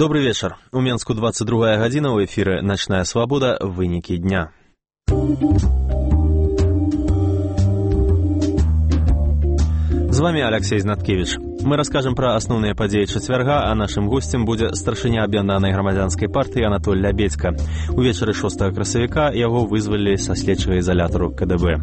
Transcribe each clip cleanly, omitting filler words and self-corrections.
Добрый вечер. У Менску 22 гадзіна, у эфіры «Ночная свобода. Вынікі дня». З вами Алексей Знаткевич. Мы расскажем про основные подеи четверга, а нашим гостем будет старшыня аб'яднанай грамадзянскай партыі Анатоль Лябедзька. Увечары 6 красавіка яго вызвалілі са следчага изолятару КДБ.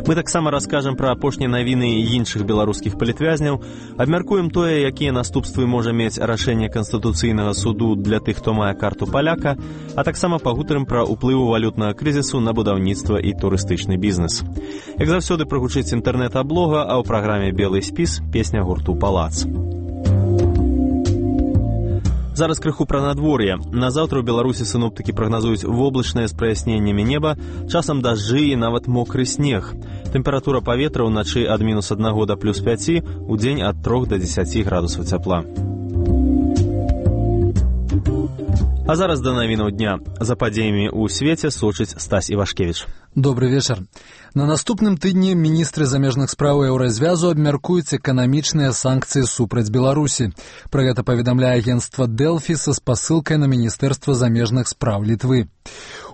Мы таксама раскажем про апошнія навіны іншых беларускіх палітвязняў, абмяркуем тое, якія наступствы можа мець рашэнне Канстытуцыйнага суду для тых, хто мае карту паляка, а таксама пагутарым пра ўплыву валютнага крызісу на будаўніцтва і турыстычны бізнес. Як заўсёды прагучыць інтэрнэт-аблога, а ў праграме «Белый спіс» песня гурту «Палац». Зараз крыху пра надвор'е. На заўтра ў Беларусі сіноптыкі прагназуюць воблачнае з праясненнямі неба, часам дажджы і нават мокры снег. Тэмпература паветра ўначы ад -1 да +5, удзень ад 3 до 10 градусаў цяпла. А зараз да навінаў дня. За падзеямі ў свеце сочыць Стась Івашкевіч. Добрый вечер. На наступным тыдні міністры замежных спраў Еўразвязу абмяркуюць эканамічныя санкцыі супраць Беларусі. Пра гэта паведамляе агенцтва Дэлфі са спасылкай на Міністэрства замежных спраў Літвы.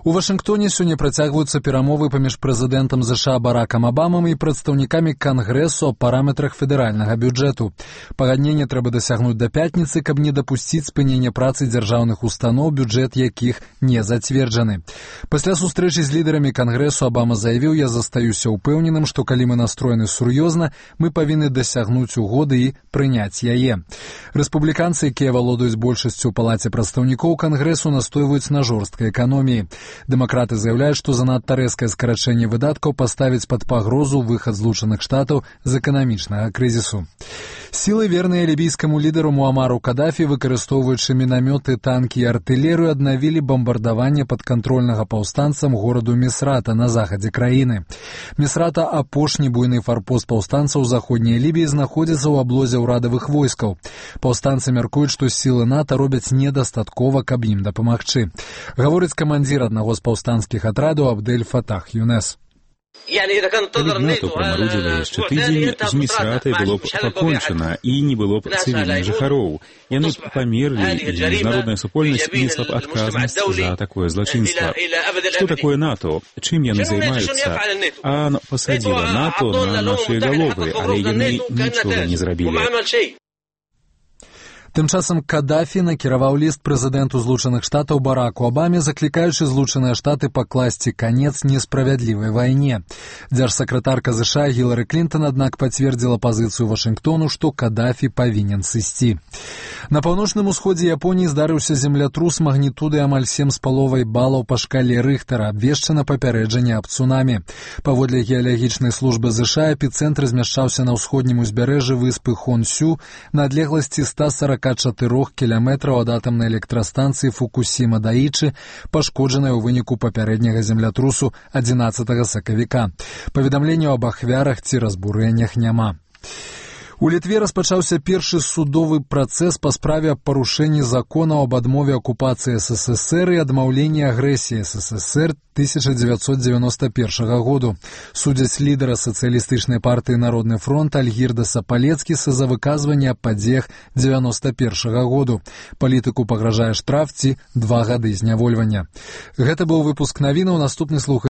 У Вашынгтоне сёння працягваюцца перамовы паміж прэзідэнтам США Баракам Абамам і прадстаўнікамі Кангрэсу аб параметрах федэральнага бюджэту. Пагадненне трэба дасягнуць да пятніцы, каб не дапусціць спынення працы дзяржаўных устаноў, бюджэт якіх не зацверджаны. Пасля сустрэчы з лідарамі Кангрэсу Абама заявіў: «Я застаюся ўпэўненым, што калі мы настроены сур'ёзна, мы павінны дасягнуць угоды і прыняць яе». Рэспубліканцы, якія валодаюць большасцю ў палаце прадстаўнікоў Кангрэсу, настойваюць на жорсткай эканоміі. Дэмакраты заяўляюць, што занадта рэзкае скарачэнне выдаткаў паставіць пад пагрозу выхад Злучаных Штатаў з эканамічнага крызісу. Сілы, верныя лібійскаму лідару Муамару Кадафі, выкарыстоўваючы мінамёты, танкі і артылерыю, аднавілі бамбардаванне падкантрольнага паўстанцам гораду Місрата на захадзе краіны. Місрата, апошні буйны фарпост паўстанцаў заходняй Лібіі, знаходзіцца ў аблозе ўрадавых войскаў. Паўстанцы мяркуюць, што сілы НАТО робяць недастаткова, каб ім дапамагчы. Гаворыць камандзір аднаго з паўстанцкіх атрадаў Абдель Фатах Юнес. Калі б НАТО прамарудзіла яшчэ тыдзень, з Місратай было б пакончана і не было б цывільных жыхароў. Яны б памерлі, і міжнародная супольнасць несла б адказнасць за такое злачынства. Што такое НАТО? Чым яны займаюцца? АН пасадзіла НАТО на нашыя галовы, але яны нічога не зрабілі. Тым часам Кадафі накіраваў ліст прэзідэнту Злучаных Штатаў Бараку Абаме, заклікаючы Злучаныя Штаты пакласці канец несправядлівай вайне. Дзяржсакратарка США Гілары Клінтон, аднак, пацвердзіла пазіцыю Вашынгтону, што Кадафі павінен сысці. На паўночным усходзе Японіі здарыўся землятрус магнітудай амаль 7,5 балаў па шкале Рыхтара, абвешчана папярэджанне аб цунамі. Паводле геалагічнай службы США эпіцэнтр змяшчаўся на ўсходнім узбярэжжы выспы Хонсю на адлегласці 144 кіламетраў ад атамнай электрастанцыі Фукусіма-Даічы, пашкоджанай у выніку папярэдняга землятрусу 11 сакавіка. Паведамленняў аб ахвярах ці разбурэннях няма. У Літве распачаўся першы судовы працэс па справе аб парушэнні законаў аб адмове акупацыі СССР і адмаўленні агрэсіі СССР 1991 году. Судзяць лідара сацыялістычнай партыі «Народны фронт» Альгірдаса Палецкіса за выказванне аб падзеях 91 году. Палітыку пагражае штраф ці 2 гады знявольвання. Гэта быў выпуск навінаў. Наступны слух